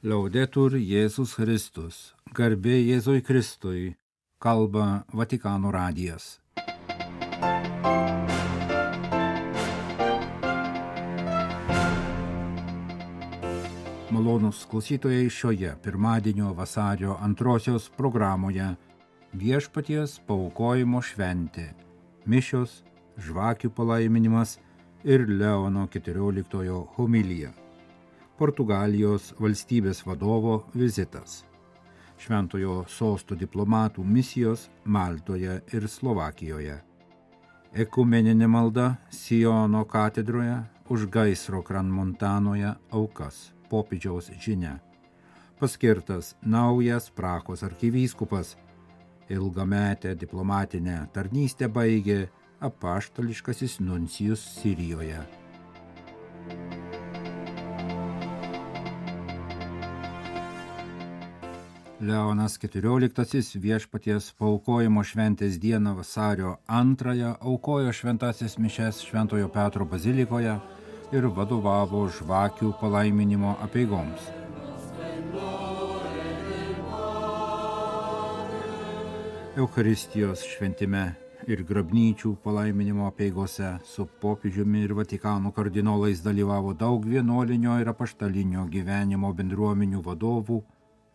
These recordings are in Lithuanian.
Laudetur Jėzus Kristus, garbė Jėzui Kristui, kalba Vatikano radijas. Malonūs klausytojai, šioje pirmadienio vasario 2 programoje Viešpaties paaukojimo šventė, mišios, žvakių palaiminimas ir Leono 14 homilija. Portugalijos valstybės vadovo vizitas, Šventojo sosto diplomatų misijos Maltoje ir Slovakijoje, ekumeninė malda Siono katedroje už gaisro Kranmontanoje aukas, popiežiaus žinia, paskirtas naujas Prahos arkivyskupas, ilgametę diplomatinę tarnystę baigė apaštališkasis nuncijus Sirijoje. Leonas XIV Viešpaties paaukojimo šventės dieną vasario 2 aukojo šventasis mišias Šventojo Petro bazilikoje ir vadovavo žvakių palaiminimo apeigoms. Eucharistijos šventime ir grabnyčių palaiminimo apeigose su popiežiumi ir Vatikano kardinolais dalyvavo daug vienuolinio ir apaštalinio gyvenimo bendruomenių vadovų,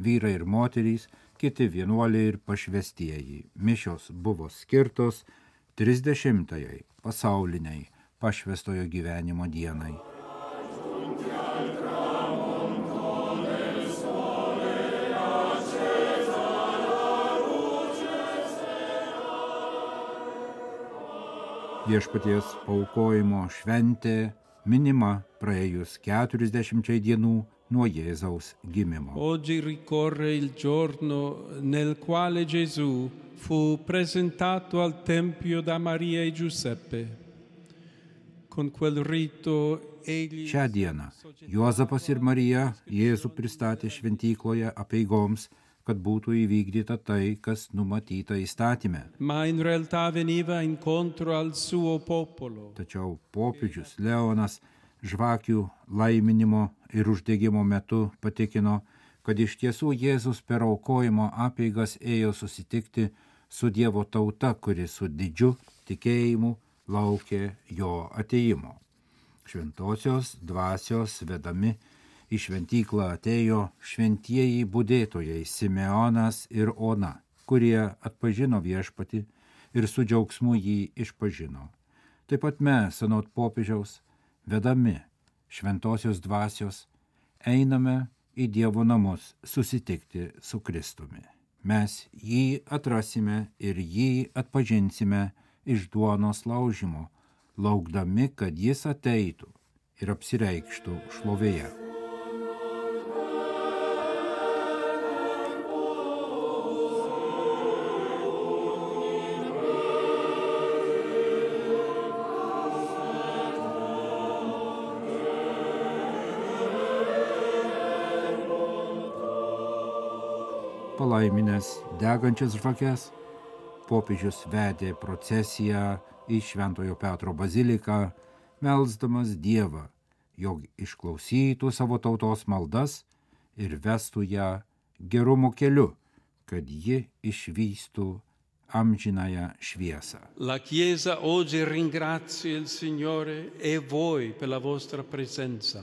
vyrai ir moterys, kiti vienuoliai ir pašvestieji. Mišios buvo skirtos 30-ąjai pasauliniai pašvestojo gyvenimo dienai. Viešpaties paaukojimo šventė minima praėjus 40 dienų nuo Jėzaus gimimo. Oggi ricorre il giorno nel quale Gesù fu presentato al Tempio da Maria e Giuseppe. Con quel rito egli... Šią dieną Juozapas ir Marija Jėzų pristatė šventykloje apeigoms, kad būtų įvykdyta tai, kas numatyta įstatyme. Ma in realtà veniva incontro al suo popolo. Tačiau popiežius Leonas žvakių laiminimo ir uždegimo metu patikino, kad iš tiesų Jėzus per aukojimo apeigas ėjo susitikti su Dievo tauta, kuri su didžiu tikėjimu laukė jo atėjimo. Šventosios dvasios vedami į šventyklą atėjo šventieji budėtojai Simeonas ir Ona, kurie atpažino Viešpatį ir su džiaugsmu jį išpažino. Taip pat mes, anot popiežiaus, vedami šventosios dvasios, einame į Dievo namus susitikti su Kristumi. Mes jį atrasime ir jį atpažinsime iš duonos laužimo, laukdami, kad jis ateitų ir apsireikštų šlovėje. Palaiminęs degančias žvakes, popiežius vedė procesiją į Šventojo Petro baziliką, melsdamas Dievą, jog išklausytų savo tautos maldas ir vestų ją gerumo keliu, kad ji išvystų amžinąją šviesą. La Chiesa oggi ringrazia il Signore e voi per la vostra presenza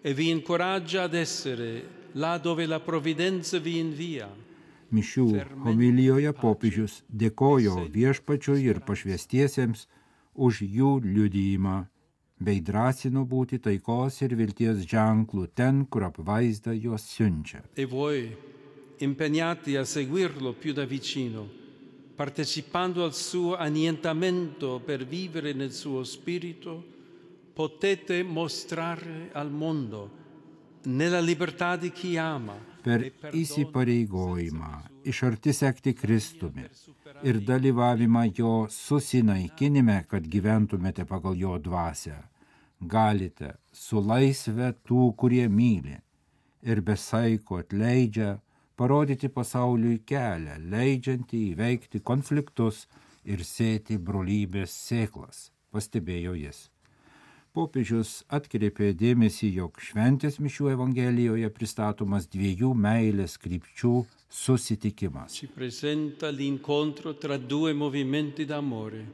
e vi incoraggia ad essere là dove la provvidenza vi invia. Mišių homilijoje popiežius dėkojo Viešpačiui ir pašvestiesiems už jų liudijimą, bei drąsino būti taikos ir vilties ženklų ten, kur apvaizda juos siunčia. E voi, impegnati a seguirlo più da vicino, partecipando al suo annientamento per vivere nel suo spirito, potete mostrare al mondo nella libertà di chi ama. Per įsipareigojimą iš arti sekti Kristumi ir dalyvavimą jo susinaikinime, kad gyventumėte pagal jo dvasią, galite su laisve tų, kurie myli ir be saiko atleidžia, parodyti pasauliui kelią, leidžiantį įveikti konfliktus ir sėti brolybės sėklas, pastebėjo jis. Popiežius atkreipė dėmesį, jog šventės mišių evangelijoje pristatomas dviejų meilės krypčių susitikimas. Ci presenta l'incontro tra due movimenti d'amore,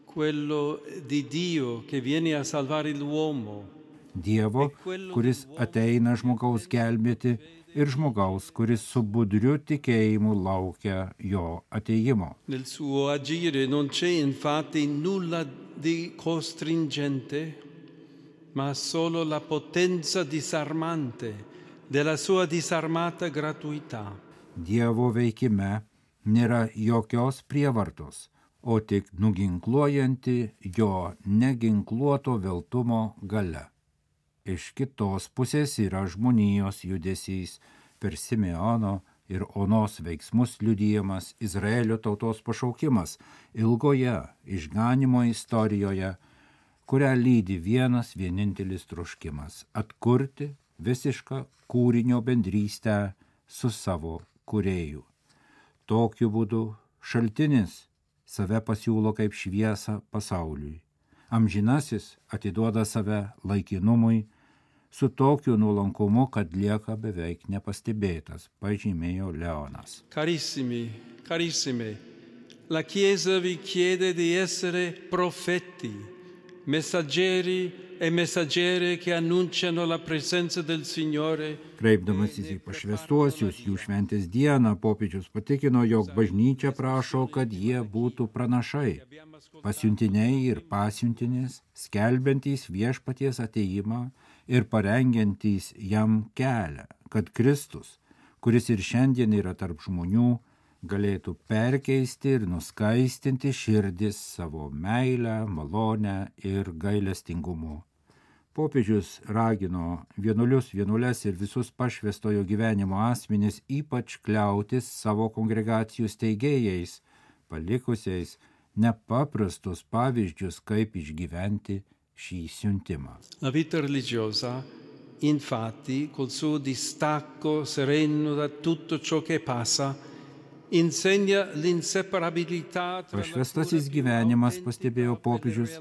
quello di Dio che viene a salvare l'uomo. Dievo, kuris ateina žmogaus gelbėti, ir žmogaus, kuris su budriu tikėjimu laukia jo ateimo. Nel suo agire non c'è infatti nulla di costringente, ma solo la potenza disarmante della sua disarmata gratuità. Dievo veikime nėra jokios prievartos, o tik nuginkluojanti jo neginkluoto veltumo galia. Iš kitos pusės yra žmonijos judesys per Simeono ir Onos veiksmus liudijamas Izraelio tautos pašaukimas ilgoje išganymo istorijoje, kurią lydi vienas vienintelis troškimas – atkurti visišką kūrinio bendrystę su savo kūrėju. Tokiu būdu šaltinis save pasiūlo kaip šviesą pasauliui. Amžinasis atiduoda save laikinumui su tokiu nuolankumu, kad lieka beveik nepastebėtas, pažymėjo Leonas. Carissime, la Chiesa vi chiede di essere profeti, messaggeri e messaggere che annunciano la presenza del Signore. Kreipdamasis į pašvęstuosius jų šventės dieną, popiežius patikino, jog bažnyčia prašo, kad jie būtų pranašai, pasiuntiniai ir pasiuntinės, skelbiantys viešpaties atėjimą ir parengiantys jam kelią, kad Kristus, kuris ir šiandien yra tarp žmonių, galėtų perkeisti ir nuskaistinti širdis savo meilę, malonę ir gailestingumu. Popiežius ragino vienuolius, vienuoles ir visus pašvęstojo gyvenimo asmenis ypač kliautis savo kongregacijų steigėjais, palikusiais nepaprastus pavyzdžius, kaip išgyventi šį siuntimą. La vita religiosa, infatti, col suo distacco sereno da tutto ciò che passa, insegna l'inseparabilità tra Pašvęstasis gyvenimas, pastebėjo popiežius,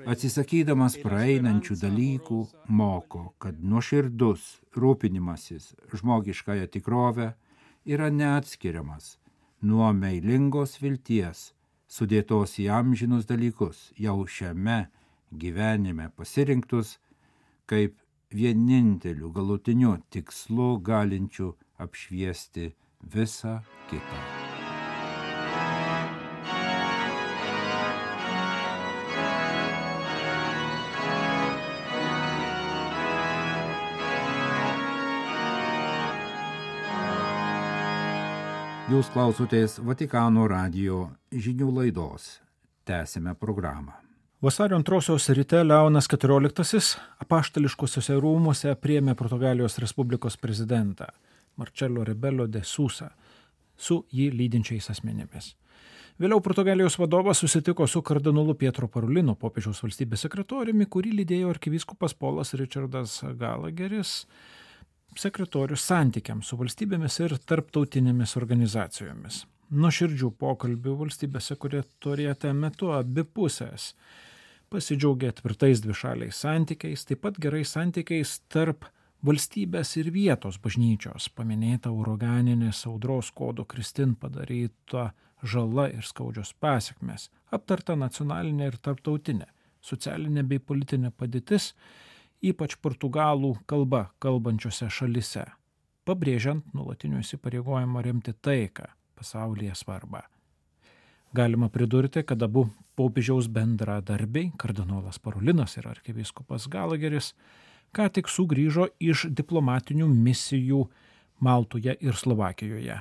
atsisakydamas praeinančių dalykų, moko, kad nuoširdus rūpinimasis žmogiškąją tikrovę yra neatskiriamas nuo meilingos vilties, sudėtos į amžinus dalykus, jau šiame gyvenime pasirinktus kaip vieninteliu galutiniu tikslu galinčiu apšviesti visą kitą. Jūs klausotės Vatikano radijo žinių laidos. Tęsime programą. Vasario 2 ryte Leonas XIV apaštališkuosiuose rūmuose priėmė Portugalijos Respublikos prezidentą Marcelo Rebelo de Sousa su jį lydinčiais asmenimis. Vėliau Portugalijos vadovas susitiko su kardinolu Pietro Parolino, popiežiaus valstybės sekretoriumi, kurį lydėjo arkivyskupas Polas Richardas Gallagheris, sekretorius santykiams su valstybėmis ir tarptautinėmis organizacijomis. Nuoširdžių pokalbių valstybės sekretoriate metu abi pusės pasidžiaugė tvirtais dvišaliais santykiais, taip pat gerais santykiais tarp valstybės ir vietos bažnyčios, paminėta uraganinės audros kodo Kristin padaryta žala ir skaudžios pasekmės, aptarta nacionalinė ir tarptautinė, socialinė bei politinė padėtis, ypač portugalų kalba kalbančiose šalise, pabrėžiant nuolatinių įsipareigojimą remti taiką, pasaulyje svarbą. Galima pridurti, kad abu popiežiaus bendradarbiai, kardinolas Parolinas ir arkivyskupas Gallagheris, ką tik sugrįžo iš diplomatinių misijų Maltoje ir Slovakijoje.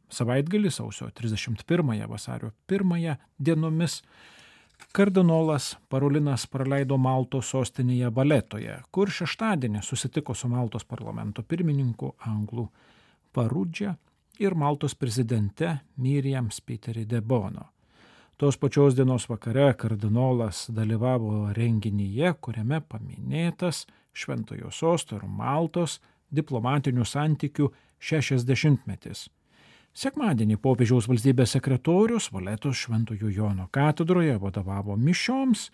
Savaitgalį sausio 31 vasario 1 dienomis kardinolas Parolinas praleido Maltos sostinėje Valetoje, kur šeštadienį susitiko su Maltos parlamento pirmininku Anglų Farudžia ir Maltos prezidente Miriam Spiteri de Bono. Tos pačios dienos vakare kardinolas dalyvavo renginyje, kuriame paminėtas Šventojo sosto ir Maltos diplomatinių santykių 60-metis. Sekmadienį popiežiaus valstybės sekretorius Valetos Šventojo Jono katedroje vadovavo mišioms,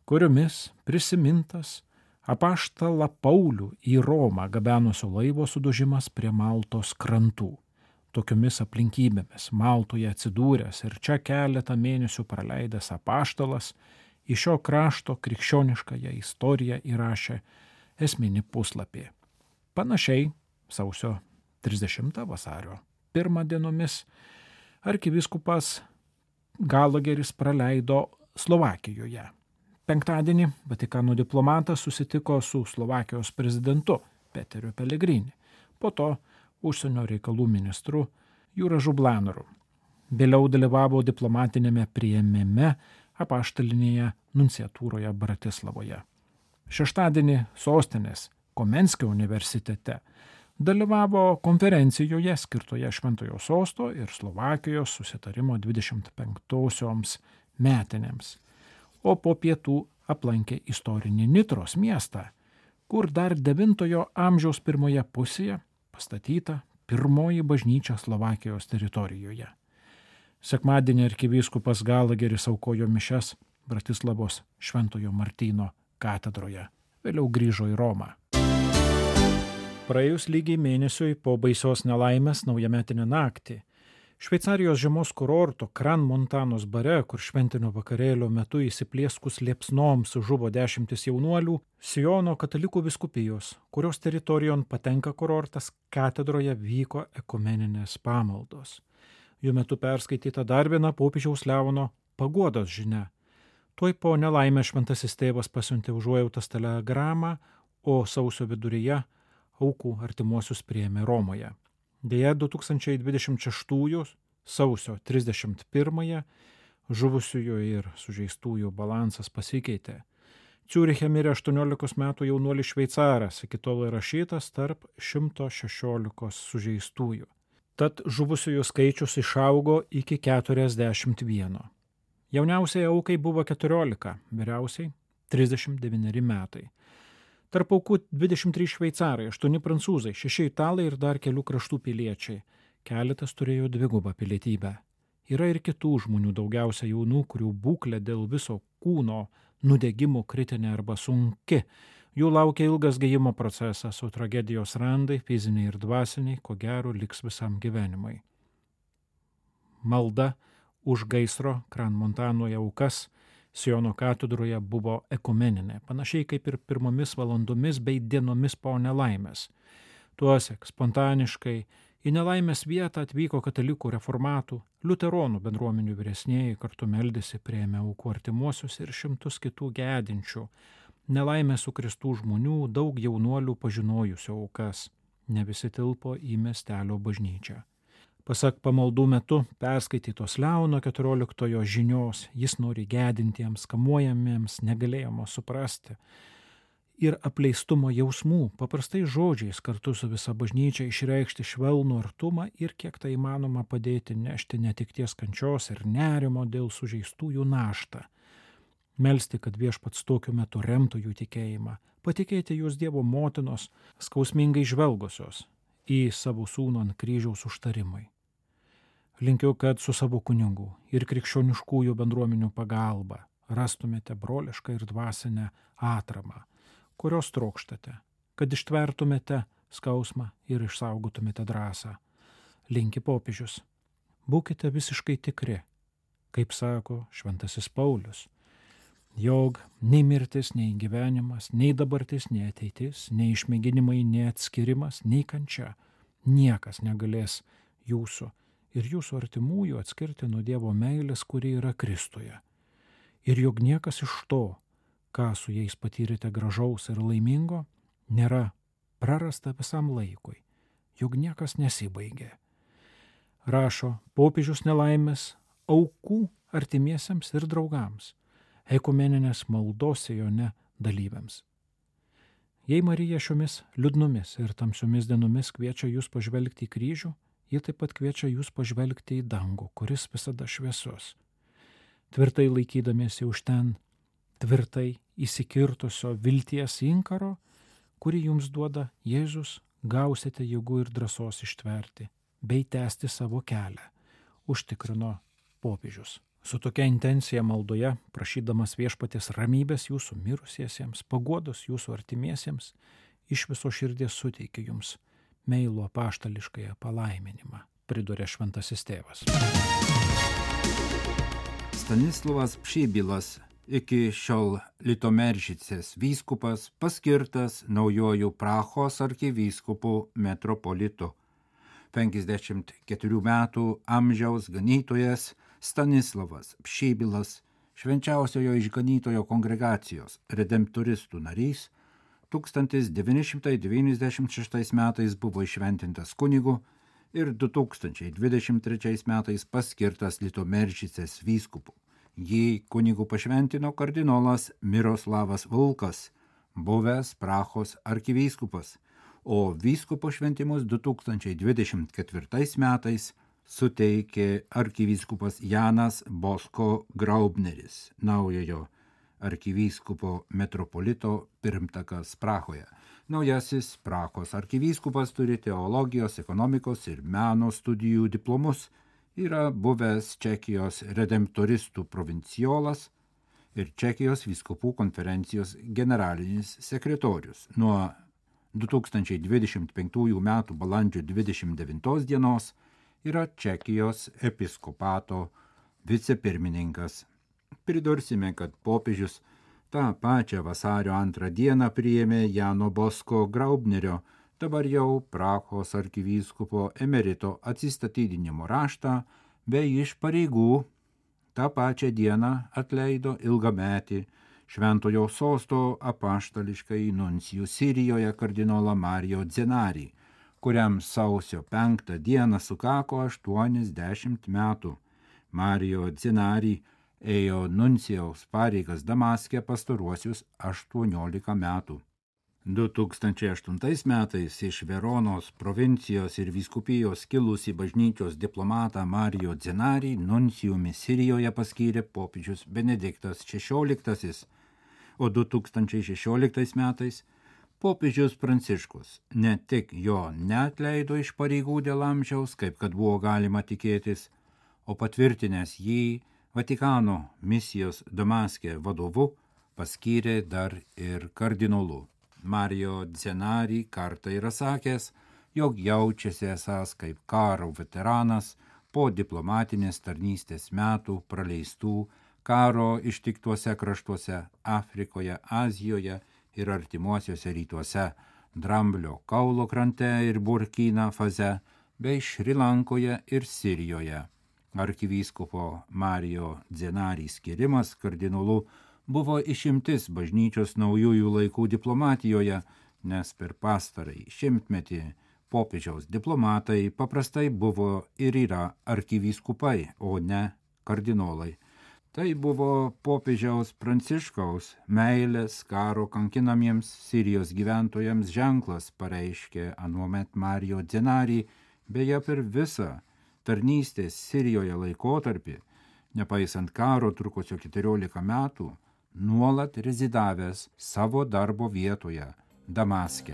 kuriomis prisimintas apaštalą Paulių į Romą gabenusio laivo sudužimas prie Maltos krantų. Tokiomis aplinkybėmis Maltoje atsidūręs ir čia keletą mėnesių praleidęs apaštalas į šio krašto krikščioniškąją istoriją įrašė esminį puslapį. Panašiai sausio 30 vasario 1 dienomis arkivyskupas Galageris praleido Slovakijoje. Penktadienį Vatikano diplomatas susitiko su Slovakijos prezidentu Peteriu Pellegrini, po to užsienio reikalų ministru Juražu Blanoru. Vėliau dalyvavo diplomatinėme priėmime apaštalinėje nunciatūroje Bratislavoje. Šeštadienį sostinės Komenskio universitete dalyvavo konferencijoje skirtoje Šventojo Sosto ir Slovakijos susitarimo 25-osioms metinėms, o po pietų aplankė istorinį Nitros miestą, kur dar 9 amžiaus pirmoje pusėje pastatyta pirmoji bažnyčia Slovakijos teritorijoje. Sekmadienį arkivyskupas Galageris aukojo mišias Bratislavos Šventojo Martyno katedroje, vėliau grįžo į Romą. Praėjus lygiai mėnesiui po baisios nelaimės naujametinę naktį, Šveicarijos žiemos kurorto Kran Montanos bare, kur šventinio vakarėlio metu įsiplieskus liepsnoms žuvo 10 jaunuolių, Siono katalikų vyskupijos, kurios teritorijon patenka kurortas, katedroje vyko ekumeninės pamaldos. Jų metu perskaityta dar viena popiežiaus Leono paguodos žinia. Tuoj po nelaimę šventasis tėvas pasiuntė užuojautos telegramą, o sausio viduryje aukų artimuosius priėmė Romoje. Deja, 2026 sausio 31 žuvusiųjų ir sužeistųjų balansas pasikeitė. Ciuriche mirė 18 metų jaunuolis šveicaras, iki tol įrašytas tarp 116 sužeistųjų. Tad žuvusiųjų skaičius išaugo iki 41. Jauniausiai aukai buvo 14, vyriausiai 39 metai. Tarp aukų 23 šveicarai, 8 prancūzai, 6 italai ir dar kelių kraštų piliečiai. Keletas turėjo dvigubą pilietybę. Yra ir kitų žmonių, daugiausia jaunų, kurių būklė dėl viso kūno nudegimo kritinė arba sunki. Jų laukia ilgas gijimo procesas, o tragedijos randai, fiziniai ir dvasiniai, ko gero liks visam gyvenimui. Malda už gaisro Kran Montanoje aukas Siono katedroje buvo ekumeninė, panašiai kaip ir pirmomis valandomis bei dienomis po nelaimės. Tuosek spontaniškai į nelaimės vietą atvyko katalikų reformatų, liuteronų bendruomenių vyresnieji, kartu meldėsi, priėmė aukų artimuosius ir šimtus kitų gedinčių. Nelaimė sukristų žmonių, daug jaunuolių pažinojusių aukas. Ne visi tilpo į miestelio bažnyčią. Pasak pamaldų metu perskaitytos Leono 14 žinios, jis nori gedintiems, kamuojamiems, negalėjimo suprasti ir apleistumo jausmų, paprastai žodžiais kartu su visa bažnyčia išreikšti švelnų artumą ir kiek tai įmanoma padėti nešti netikties kančios ir nerimo dėl sužeistųjų naštą. Melsti, kad viešpats tokiu metu remtų jų tikėjimą, patikėti jūs Dievo motinos skausmingai žvelgusios į savo sūnų ant kryžiaus užtarimai. Linkiu, kad su savo kunigų ir krikščioniškųjų bendruomenių pagalba rastumėte brolišką ir dvasinę atramą, kurios trokštate, kad ištvertumėte skausmą ir išsaugotumėte drąsą. Linki popiežius. Būkite visiškai tikri, kaip sako šventasis Paulius, jog nei mirtis, nei gyvenimas, nei dabartis, nei ateitis, nei išmėginimai, nei atskirimas, nei kančia, niekas negalės jūsų ir jūsų artimųjų atskirti nuo Dievo meilės, kuri yra Kristuje. Ir jog niekas iš to, ką su jais patyrėte gražaus ir laimingo, nėra prarasta visam laikui, jog niekas nesibaigė. Rašo popiežius nelaimės aukų artimiesiems ir draugams, ekumeninės maldos Sione dalyviams. Jei Marija šiomis liūdnomis ir tamsiomis dienomis kviečia jūs pažvelgti į kryžių, ji taip pat kviečia jūs pažvelgti į dangų, kuris visada šviesus. Tvirtai laikydamiesi už ten, tvirtai įsikirtusio vilties inkaro, kurį jums duoda Jėzus, gausite jėgų ir drąsos ištverti, bei tęsti savo kelią, užtikrino popiežius Su tokia intencija maldoje, prašydamas viešpaties ramybės jūsų mirusiesiems, paguodos jūsų artimiesiems, iš viso širdies suteikiu jums meilų apaštališkąją palaiminimą, priduria šventasis tėvas. Stanislovas Pšibilas, iki šiol Litomeržicės vyskupas, paskirtas naujojų Prahos arkivyskupu metropolitu. 54 metų amžiaus ganytojas Stanislovas Pšibilas, švenčiausiojo išganytojo kongregacijos redemptoristų narys, 1996 metais buvo iššventintas kunigu ir 2023 metais paskirtas Litomeržicės vyskupu. Jį kunigu pašventino kardinolas Miroslavas Vulkas, buvęs Prahos arkivyskupas, o vyskupo šventimus 2024 metais suteikė arkivyskupas Janas Bosko Graubneris, naujojo arkivyskupo metropolito pirmtakas Prahoje. Naujasis Prahos arkivyskupas turi teologijos, ekonomikos ir meno studijų diplomus, yra buvęs Čekijos redemptoristų provinciolas ir Čekijos vyskupų konferencijos generalinis sekretorius. Nuo 2025 m. balandžio 29 dienos yra Čekijos episkopato vicepirmininkas. Pridursime, kad popiežius tą pačią vasario 2 dieną priėmė Jano Bosko Graubnerio, dabar jau Prahos arkivyskupo emerito atsistatydinimo raštą, bei iš pareigų tą pačią dieną atleido ilgametį Šventojo sosto apaštališkai nuncijų Sirijoje kardinolą Mario Dzenarį, kuriam sausio 5 dieną sukako 80 metų. Mario Dzenarį ėjo nuncijaus pareigas Damaske pastaruosius 18 metų. 2008 metais iš Veronos provincijos ir vyskupijos kilusį bažnyčios diplomatą Mario Dzenarį nuncijumi Sirijoje paskyrė popiežius Benediktas XVI, o 2016 metais popiežius Pranciškus ne tik jo neatleido iš pareigų dėl amžiaus, kaip kad buvo galima tikėtis, o patvirtinęs jį Vatikano misijos Damaske vadovu paskyrė dar ir kardinolu. Mario Dzenarį kartą yra sakęs, jog jaučiasi esąs kaip karo veteranas po diplomatinės tarnystės metų praleistų karo ištiktuose kraštuose Afrikoje, Azijoje ir artimuosiuose rytuose, Dramblio kaulo krante ir Burkina Faze, bei Šri Lankoje ir Sirijoje. Arkivyskupo Mario Dzenarį skirimas kardinolu buvo išimtis bažnyčios naujųjų laikų diplomatijoje, nes per pastarąjį šimtmetį popiežiaus diplomatai paprastai buvo ir yra arkivyskupai, o ne kardinolai. Tai buvo popiežiaus Pranciškaus meilės karo kankinamiems Sirijos gyventojams ženklas, pareiškė anuomet Mario Dzenarį, beje per visą tarnystės Sirijoje laikotarpį, nepaisant karo trukusio 14 metų, nuolat rezidavęs savo darbo vietoje Damaske.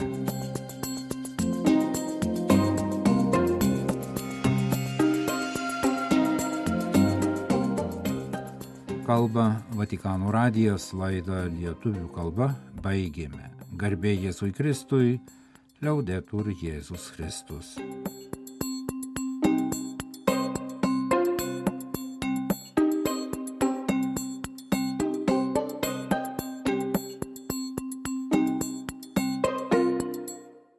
Kalba Vatikano radijas, laidą lietuvių kalba baigėme. Garbė Jėzui Kristui, Liaudetur Jėzus Kristus.